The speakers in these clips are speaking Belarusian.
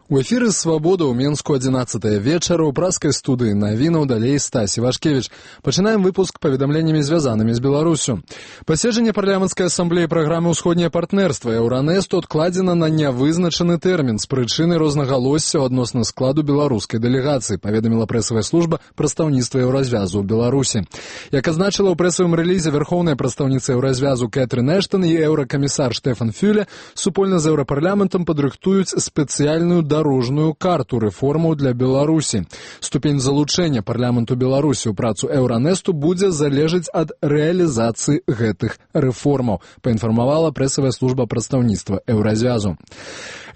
У эфіры «Свабода» ў Менску 11 вечара ў праскай студыі навінаў далей Стась Івашкевіч. Пачынаем выпуск паведамленнямі, звязанымі з Беларусю. Паседжанне парламенцкай асамблеі праграмы «Усходняе партнерства» Еўранэсту адкладзена на нявызначаны тэрмін з прычыны рознагалоссяў адносна складу беларускай дэлегацыі, паведаміла прэсавая служба прадстаўніцтва Еўразвязу ў Беларусі. Як азначыла ў прэсавым рэлізе верхоўная прадстаўніца Еўразвязу Кэтрын Эштон і еўракамісар Штефан Фюле, супольна з еўрапарламентам падрыхтуюць спецыяльную дарожную карту рэформаў для Беларусі. Ступень залучэння парламенту Беларусі ў працу Еўранэсту будзе залежаць ад рэалізацыі гэтых рэформаў, паінфармавала прэсавая служба прадстаўніцтва Еўразвязу.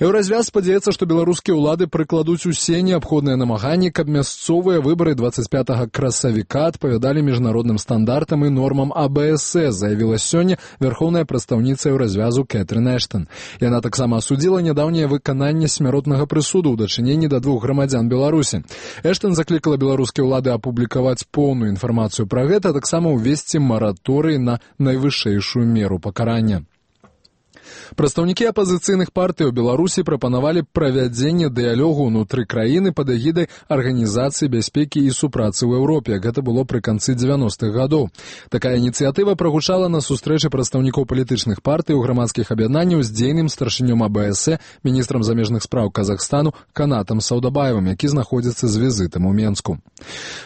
Еўразвяз спадзяецца, што беларускія ўлады прыкладуць усе неабходныя намаганні, каб мясцовыя выбары 25 красавіка адпавядалі міжнародным стандартам і нормам АБС, заявіла сёння верхоўная прадстаўніца Еўразвязу Кэтрын Эштон. Яна таксама асудзіла нядаўняе выкананне смяротнага прысуду ў дачыненні да 2 грамадзян Беларусі. Эштон заклікала беларускія ўлады апублікаваць поўную інфармацыю пра гэта, таксама ўвесці мараторый на найвышэйшую меру пакарання. Прадстаўнікі апазіцыйных партый у Беларусі прапанавалі правядзенне дыялогу ўнутры краіны пад эгідай Арганізацыі бяспекі і супрацы ў Еўропе. Гэта было пры канцы 90-х гадоў. Такая ініцыятыва прагучала на сустрэчы прадстаўнікоў палітычных партый у грамадскіх аб'яднанняў з дзейным старшынём АБС, міністрам замежных спраў Казахстану Канатам Саўдабаевым, які знаходзіцца з візітам у Менску.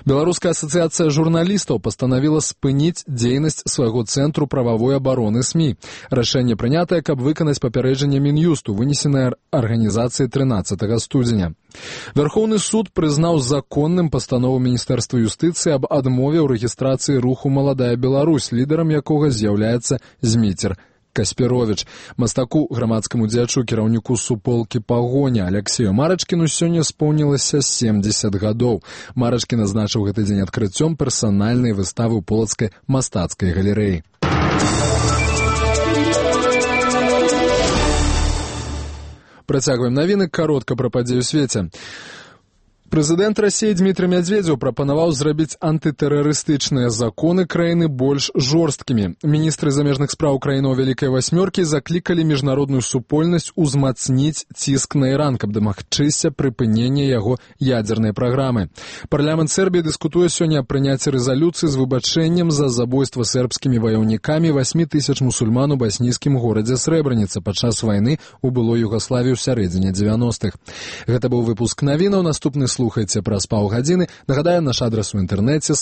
Беларуская асацыяцыя журналістаў пастанавіла спыніць дзейнасць свайго цэнтру прававой абароны СМІ. Рашэнне прынятае, каб выканаць папярэджанне Мін'юсту, вынесенае арганізацыяй 13 студзеня. Верхоўны суд прызнаў законным пастанову Міністэрства юстыцыі аб адмове ў рэгістрацыі руху «Маладая Беларусь», лідарам якога з'яўляецца Зміцер Каспіровіч. Мастаку, грамадскаму дзеячу, кіраўніку суполкі «Пагоня» Аляксею Марачкіну сёння споўнілася 70 гадоў. Марачкін назначыў гэты дзень адкрыццём персанальнай выставы ў полацкай мастацкай галерэі. Працягваем навіны, каротка пра падзеі ў свеце. Прэзідэнт Расіі Дмітрый Мядзведзеў прапанаваў зрабіць антытэрарыстычныя законы краіны больш жорсткімі. Міністры замежных спраў краінаў Вялікай Васьмёркі заклікалі міжнародную супольнасць узмацніць ціск на Іран, каб дамагчыся прыпынення яго ядзернай праграмы. Парламент Сербіі дыскутуе сёння аб прыняцці рэзалюцыі з выбачэннем за забойства сербскімі ваяўнікамі 8 000 мусульман у баснійскім горадзе Срэбраніца падчас вайны ў былой Югаславіі ў сярэдзіне 90-х. Гэта быў выпуск навінаў, наступны слухайце праз паўгадзіны. Нагадаю, наш адрас у інтэрнэце